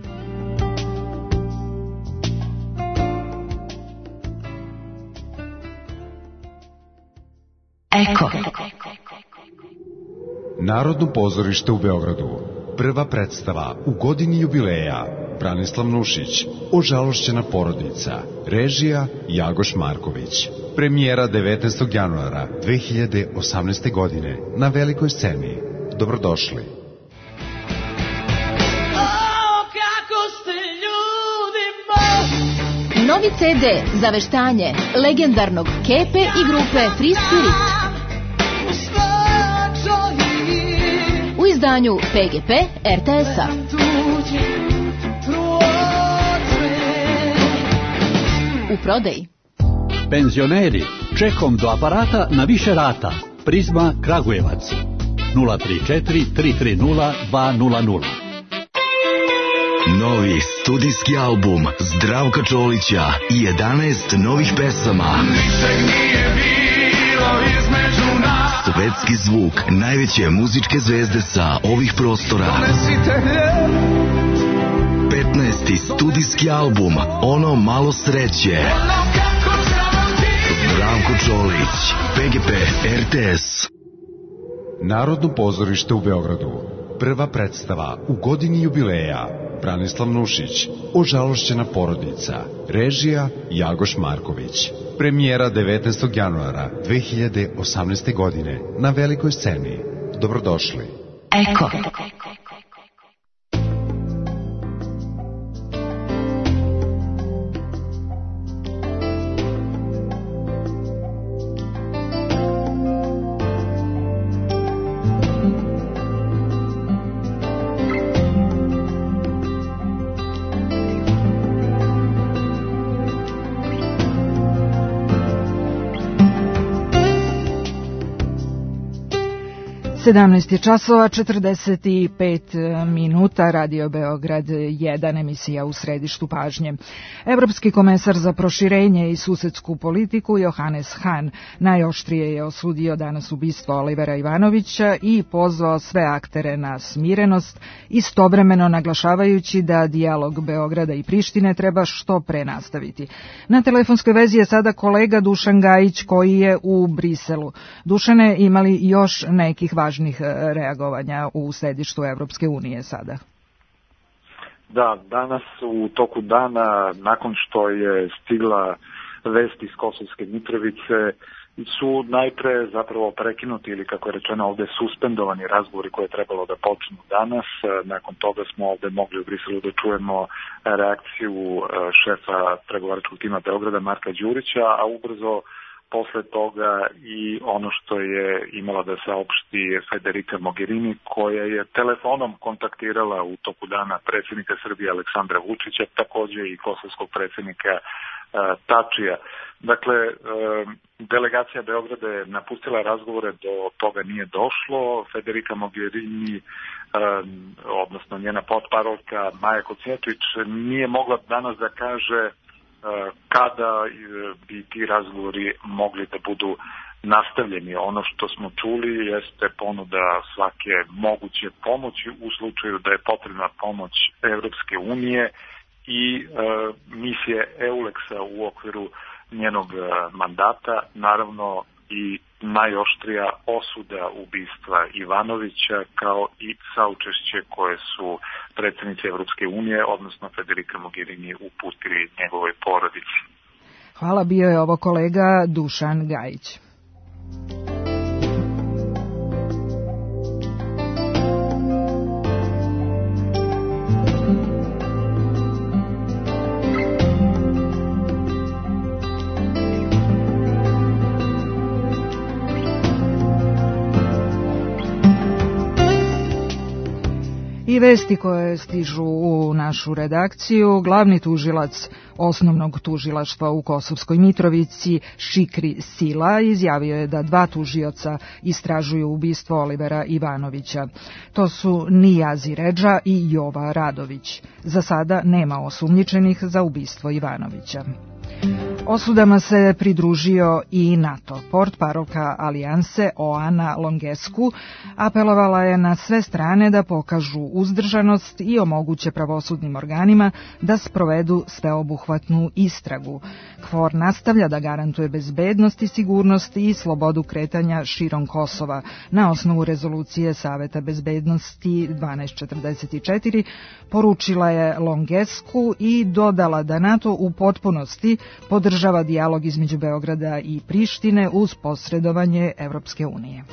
Eko. Narodno pozorište u Beogradu. Prva predstava u godini jubileja. Branislav Nušić, Ožalošćena porodica. Režija Jagoš Marković. Premijera devetnaestog januara dve hiljade osamnaeste. godine na velikoj sceni. Dobrodošli.
Novi ce de za veštanje legendarnog Kepe i grupe Free Spirit. U izdanju pe ge pe er te es-a. U prodaji.
Penzioneri, čekom do aparata na više rata. Prizma Kragujevac. nula tri četiri tri tri nula dva nula nula.
Novi studijski album Zdravka Čolića i jedanaest novih pesama. Svetski zvuk najveće muzičke zvezde sa ovih prostora. petnaesti studijski album Ono malo sreće. Zdravko Čolić, pe ge pe er te es.
Narodno pozorište u Beogradu. Prva predstava u godini jubileja. Branislav Nušić, Ožalošćena porodica. Režija Jagoš Marković. Premijera devetnaestog januara dve hiljade osamnaeste. godine na velikoj sceni. Dobrodošli.
Eko.
sedamnaest je časova, četrdeset pet minuta, Radio Beograd jedan, emisija u središtu pažnje. Evropski komesar za proširenje i susedsku politiku Johannes Hahn najoštrije je osudio danas ubistvo Olivera Ivanovića i pozvao sve aktere na smirenost, istovremeno naglašavajući da dijalog Beograda i Prištine treba što pre nastaviti. Na telefonskoj vezi je sada kolega Dušan Gajić koji je u Briselu. Dušane, imali još nekih važnih reagovanja u središtu Evropske unije sada?
Da, danas u toku dana, nakon što je stigla vest iz Kosovske Mitrovice, su najpre zapravo prekinuti ili, kako je rečeno ovde, suspendovani razgovori koje je trebalo da počnu danas. Nakon toga smo ovde mogli u Briselu da čujemo reakciju šefa pregovaračkog tima Beograda Marka Đurića, a ubrzo posle toga i ono što je imala da saopšti Federica Mogherini, koja je telefonom kontaktirala u toku dana predsjednika Srbije Aleksandra Vučića, takođe i kosovskog predsjednika uh, Tačija. Dakle, uh, delegacija Beograda je napustila razgovore, do toga nije došlo. Federica Mogherini, uh, odnosno njena potparolka Maja Kocijačić, nije mogla danas da kaže kada bi ti razgovori mogli da budu nastavljeni. Ono što smo čuli jeste ponuda svake moguće pomoći u slučaju da je potrebna pomoć Evropske unije i e, misije EULEX-a u okviru njenog mandata, naravno i najoštrija osuda ubistva Ivanovića, kao i saučešće koje su predsjednici Evropske unije, odnosno Federica Mogherini, uputili njegovoj porodici.
Hvala, bio je ovo kolega Dušan Gajić. I vesti koje stižu u našu redakciju, glavni tužilac osnovnog tužilaštva u Kosovskoj Mitrovici, Šikri Sila, izjavio je da dva tužioca istražuju ubistvo Olivera Ivanovića. To su Nijazi Redža i Jova Radović. Za sada nema osumnjičenih za ubistvo Ivanovića. Osudama se pridružio i NATO. Portparolka Alijanse Oana Longescu apelovala je na sve strane da pokažu uzdržanost i omoguće pravosudnim organima da sprovedu sveobuhvatnu istragu. KFOR nastavlja da garantuje bezbednost i sigurnost i slobodu kretanja širom Kosova na osnovu rezolucije Saveta bezbednosti dvanaest četrdeset četiri, poručila je Longescu i dodala da NATO u potpunosti podržava dijalog između Beograda i Prištine uz posredovanje Evropske unije.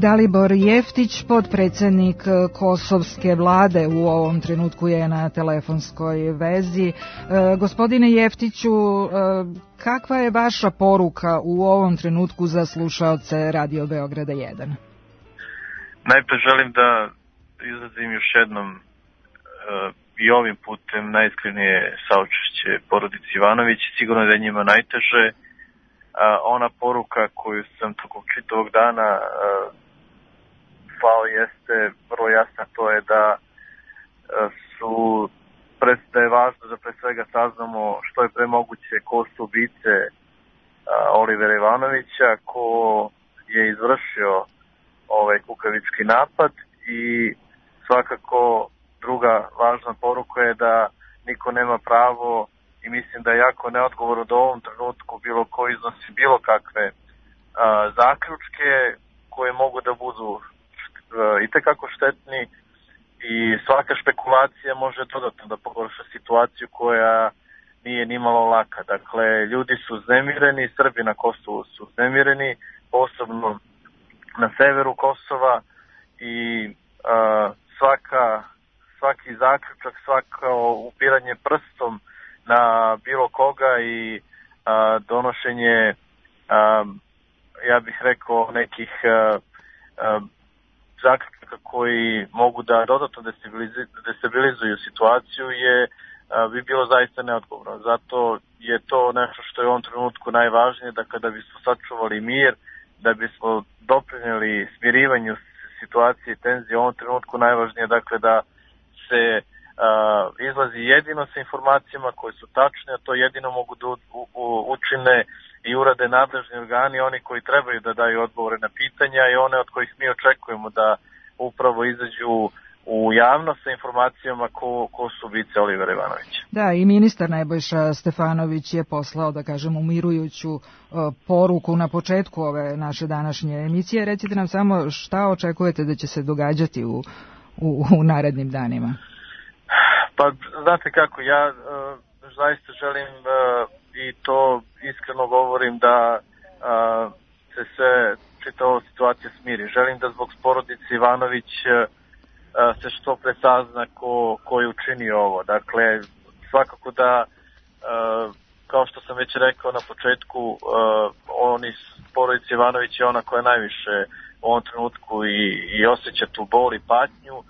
Dalibor Jeftić, podpredsednik kosovske vlade, u ovom trenutku je na telefonskoj vezi. E, gospodine Jeftiću, e, kakva je vaša poruka u ovom trenutku za slušaoce Radio Beograda jedan?
Najpre želim da izrazim još jednom e, i ovim putem najiskrenije saučešće porodici Ivanović. Sigurno da je njima najteže. E, ona poruka koju sam tokom čitavog dana e, slao jeste vrlo jasna, to je da su da je važno da pre svega saznamo što je pre moguće ko su ubice Olivera Ivanovića, ko je izvršio ovaj kukavički napad, i svakako druga važna poruka je da niko nema pravo, i mislim da je jako neodgovorno da u ovom trenutku bilo ko iznosi bilo kakve a, zaključke koje mogu da budu i tekako štetni i svaka špekulacija može dodatno da pogorša situaciju koja nije nimalo laka. Dakle, ljudi su uznemireni, Srbi na Kosovu su uznemireni, posebno na severu Kosova i a, svaka, svaki zaključak, svako upiranje prstom na bilo koga i a, donošenje, a, ja bih rekao, nekih a, a, zaključaka koji mogu da dodatno destabilizuju situaciju je a, bi bilo zaista neodgovorno. Zato je to nešto što je u ovom trenutku najvažnije, da kada bismo sačuvali mir, da bismo doprinijeli smirivanju situacije i tenzije, u ovom trenutku najvažnije je dakle da se a, izlazi jedino sa informacijama koje su tačne, a to jedino mogu da u, u, učine i urade nadležni organi, oni koji trebaju da daju odgovore na pitanja i one od kojih mi očekujemo da upravo izađu u javnost sa informacijama ko, ko su ubice Olivera Ivanovića.
Da, i ministar Nebojša Stefanović je poslao, da kažem, umirujuću uh, poruku na početku ove naše današnje emisije. Recite nam samo šta očekujete da će se događati u, u, u narednim danima?
Pa, znate kako, ja uh, zaista želim uh, i to iskreno govorim da uh, se sve čita ova situacija smiri. Želim da zbog porodice Ivanović uh, se što pre sazna ko, ko je učinio ovo. Dakle, svakako da, uh, kao što sam već rekao na početku, uh, oni, porodica Ivanović je ona koja najviše u ovom trenutku i, i osjeća tu bol i patnju. Uh,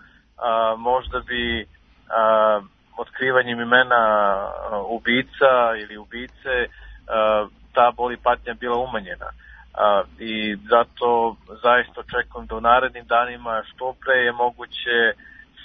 možda bi uh, otkrivanjem imena uh, ubica ili ubice uh, ta bol i patnja bila umanjena. Uh, i zato zaista očekujem da u narednim danima što pre je moguće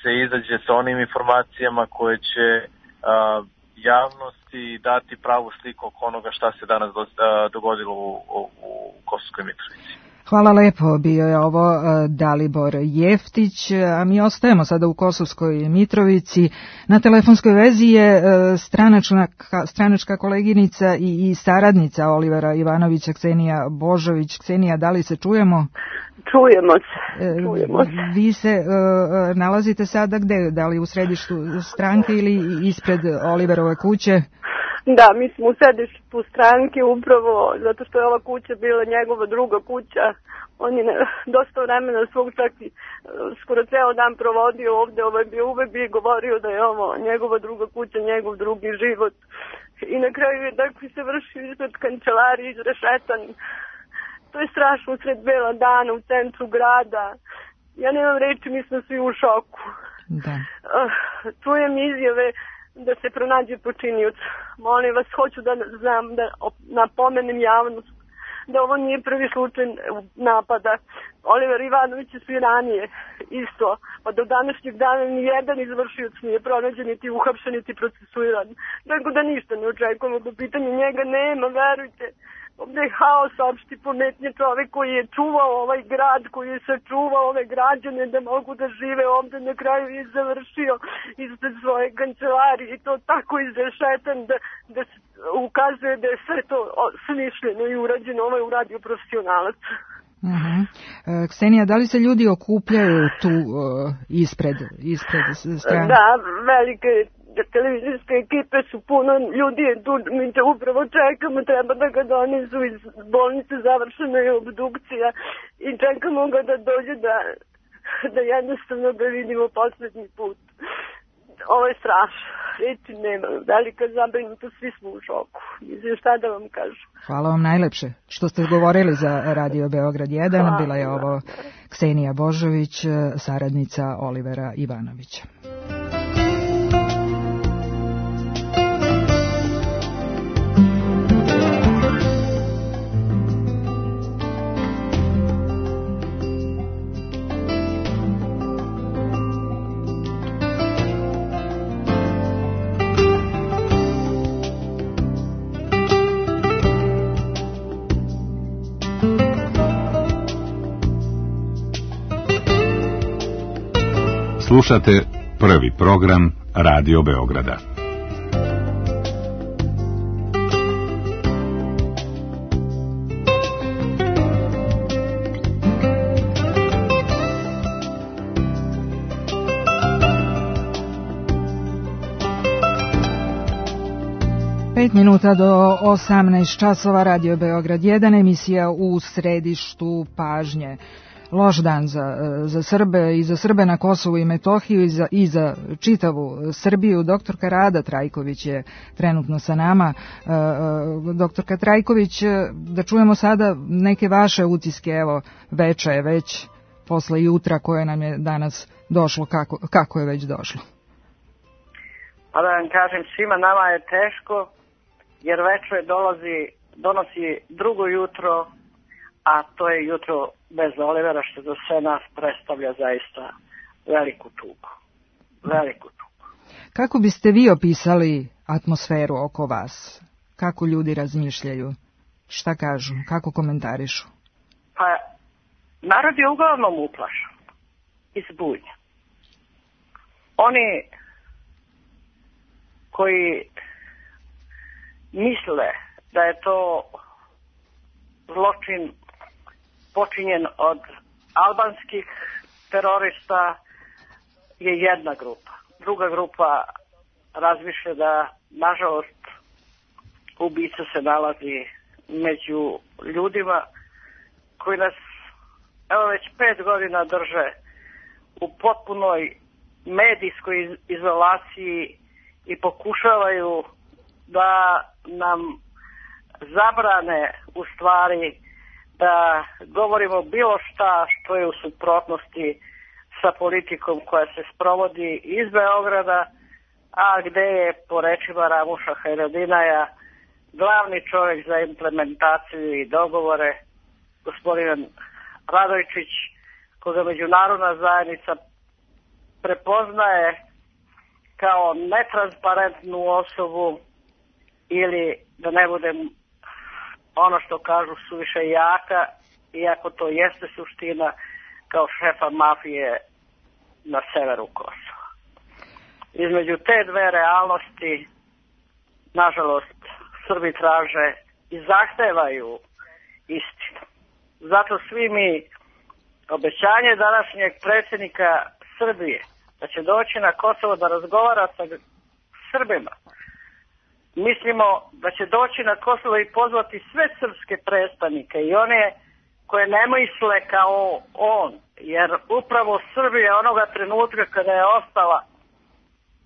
se izađe sa onim informacijama koje će uh, javnosti dati pravu sliku oko onoga šta se danas do, uh, dogodilo u, u, u Kosovskoj Mitrovici.
Hvala lepo, bio je ovo Dalibor Jeftić, a mi ostajemo sada u Kosovskoj Mitrovici. Na telefonskoj vezi je stranačka, stranačka koleginica i, i saradnica Olivera Ivanovića, Ksenija Božović. Ksenija, da li se čujemo?
Čujemo se. Čujemo se.
Vi se uh, nalazite sada gde? Da li u središtu stranke ili ispred Oliverove kuće?
Da, mi smo u sedištu stranke upravo zato što je ova kuća bila njegova druga kuća. On je dosta vremena svog čak i skoro ceo dan provodio ovde, ovo je bio uvek bi govorio da je ovo njegova druga kuća, njegov drugi život. I na kraju je dakle se vršio ispred kancelarije, izrešetan. To je strašno usred bela dana u centru grada. Ja nemam reči, mi smo svi u šoku.
Da.
Uh, čujem izjave da se pronađe počinioc. Molim vas, hoću da znam, da napomenem javnost da ovo nije prvi slučaj napada. Oliver Ivanović su i ranije isto, pa do današnjeg dana ni jedan izvršioc nije pronađen, niti uhapšen, niti procesuiran. Tako da ništa ne očekujemo, po pitanju njega nema, verujte. Ovdje je haos, opšti pometnje, čovek koji je čuvao ovaj grad, koji je sačuvao ove građane da mogu da žive ovdje, na kraju je završio ispred svoje kancelarije i to tako izrešetan da, da se ukazuje da je sve to smišljeno i urađeno, ovo je uradio profesionalac.
Uh-huh. E, Ksenija, da li se ljudi okupljaju tu uh, ispred, ispred strane?
Da, velike televizijske ekipe su puno ljudi je tu, mi te upravo čekamo, treba da ga donesu iz bolnice, završena je obdukcija i čekamo ga da dođe da, da jednostavno ga vidimo poslednji put. Ovo je strašno, reći nema, velika zabrinuta, svi smo u šoku, mislim šta da vam kažem.
Hvala vam najlepše što ste govorili za Radio Beograd jedan, hvala. Bila je ovo Ksenija Božović, saradnica Olivera Ivanovića.
Slušate prvi program Radio Beograda.
devet minuta do osamnaest časova, Radio Beograd jedan, emisija U središtu pažnje. Loš dan za, za Srbe i za Srbe na Kosovu i Metohiju i za, i za čitavu Srbiju. Doktorka Rada Trajković je trenutno sa nama. Doktorka Trajković, da čujemo sada neke vaše utiske, evo veča je već posle jutra koje nam je danas došlo, kako, kako je već došlo.
Pa da vam kažem, svima nama je teško, jer večer dolazi, donosi drugo jutro, a to je jutro bez Olivera, što za sve nas predstavlja zaista veliku tugu. Veliku tugu.
Kako biste vi opisali atmosferu oko vas? Kako ljudi razmišljaju? Šta kažu? Kako komentarišu?
Pa, narod je uglavnom uplašen i zbunjen. Oni koji misle da je to zločin počinjen od albanskih terorista je jedna grupa. Druga grupa razmišlja da, nažalost, ubica se nalazi među ljudima koji nas, evo već pet godina drže u potpunoj medijskoj izolaciji i pokušavaju da nam zabrane u stvari da govorimo bilo šta što je u suprotnosti sa politikom koja se sprovodi iz Beograda, a gde je, po rečima Ramuša Hajradinaja, glavni čovjek za implementaciju i dogovore, gospodin Radojčić, koga međunarodna zajednica prepoznaje kao netransparentnu osobu ili, da ne budem ono što kažu, suviše jaka, iako to jeste suština, kao šefa mafije na severu Kosova. Između te dve realnosti, nažalost, Srbi traže i zahtevaju istinu. Zato svi mi obećanje današnjeg predsjednika Srbije da će doći na Kosovo da razgovara sa Srbima, mislimo da će doći na Kosovo i pozvati sve srpske predstavnike i one koje ne misle kao on, jer upravo Srbija onoga trenutka kada je ostala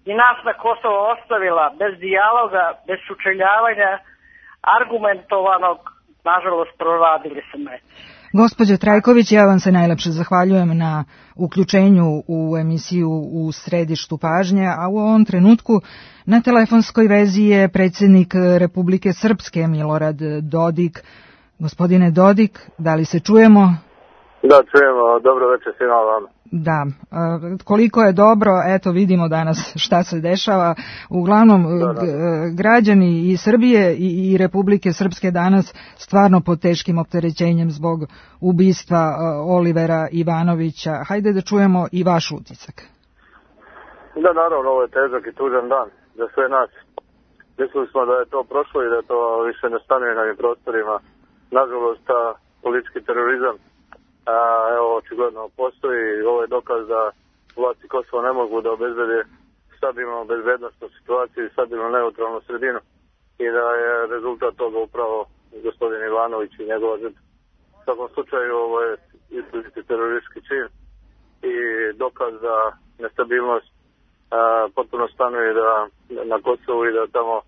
i nas na Kosovo ostavila bez dijaloga, bez sučeljavanja, argumentovanog, nažalost proradili se meci.
Gospođo Trajković, ja vam se najlepše zahvaljujem na uključenju u emisiju U središtu pažnje, a u ovom trenutku na telefonskoj vezi je predsjednik Republike Srpske Milorad Dodik. Gospodine Dodik, da li se čujemo?
Da, čujemo. Dobro večer svima vam.
Da, koliko je dobro, eto vidimo danas šta se dešava. Uglavnom, da, da. građani i Srbije i, i Republike Srpske danas stvarno pod teškim opterećenjem zbog ubistva Olivera Ivanovića. Hajde da čujemo i vaš utisak.
Da, naravno, ovo je težak i tužan dan za sve nas. Mislili smo da je to prošlo i da to više ne stanuje na ovim prostorima. Nažalost, ta politički terorizam A, evo, očigledno postoji. Ovo je dokaz da vlasti Kosova ne mogu da obezbede stabilnu bezbednostnu situaciju i stabilnu neutralnu sredinu i da je rezultat toga upravo gospodin Ivanović i njegova žrtva. U svakom slučaju ovo je izraziti teroristički čin i dokaz da nestabilnost a, potpuno stanuje da, na Kosovu i da tamo a,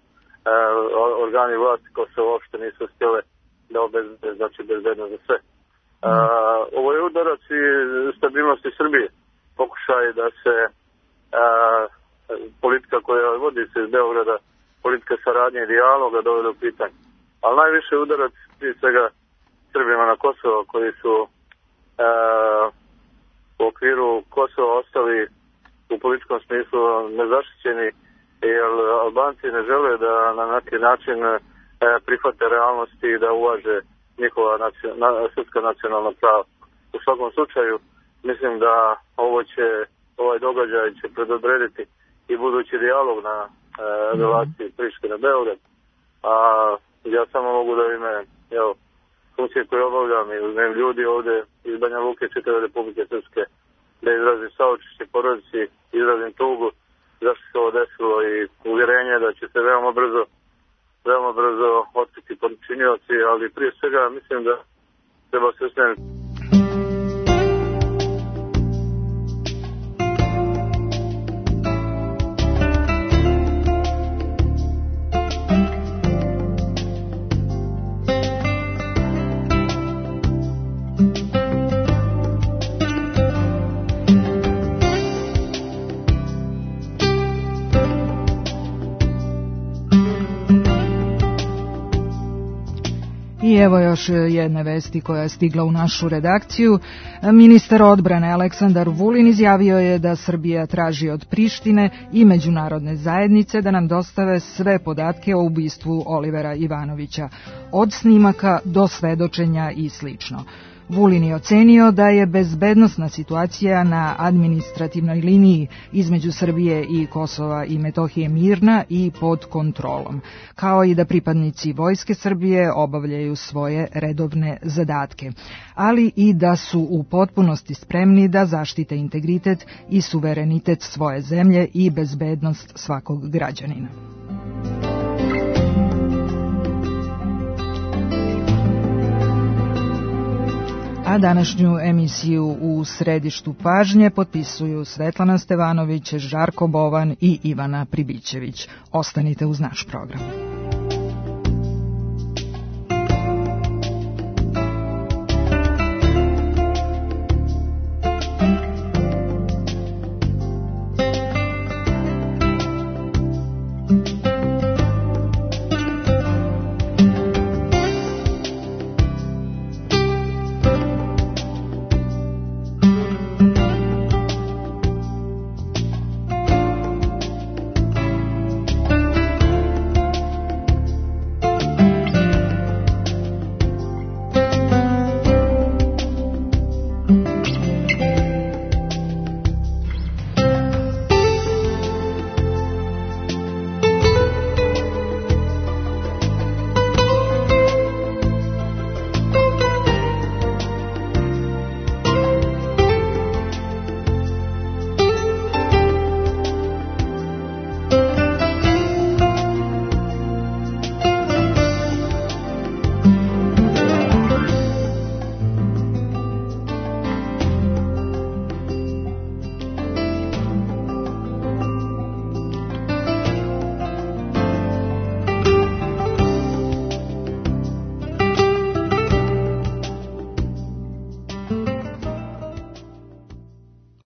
organi vlasti Kosova uopšte nisu htjele da obezbede, znači bezbednost za sve. Uh, ovo je udarac i stabilnosti Srbije. Pokušaj da se uh, politika koja vodi se iz Beograda, politika saradnje i dijaloga dovede u pitanje. Ali najviše udarac prije svega Srbima na Kosovo koji su uh, u okviru Kosova ostali u političkom smislu nezaštićeni, jer Albanci ne žele da na neki način uh, prihvate realnosti i da uvaže njihova nacionalna, srpska nacionalna prava. U svakom slučaju, mislim da ovo će, ovaj događaj će predodrediti i budući dijalog na e, relaciji Prištine na Beograd. A ja samo mogu da ime, evo, funkcije koje obavljam i uzmem ljudi ovde iz Banja Luke, čitave Republike Srpske, da izrazim saučešće porodici, izrazim tugu zašto se ovo desilo i uvjerenje da će se veoma brzo veoma brzo otkriti počinioci, ali prije svega mislim da treba se osvrnuti.
I evo još jedne vesti koja je stigla u našu redakciju. Ministar odbrane Aleksandar Vulin izjavio je da Srbija traži od Prištine i međunarodne zajednice da nam dostave sve podatke o ubistvu Olivera Ivanovića, od snimaka do svedočenja i slično. Vulin je ocenio da je bezbednosna situacija na administrativnoj liniji između Srbije i Kosova i Metohije mirna i pod kontrolom, kao i da pripadnici Vojske Srbije obavljaju svoje redovne zadatke, ali i da su u potpunosti spremni da zaštite integritet i suverenitet svoje zemlje i bezbednost svakog građanina. A današnju emisiju u središtu pažnje potpisuju Svetlana Stevanović, Žarko Bovan i Ivana Pribićević. Ostanite uz naš program.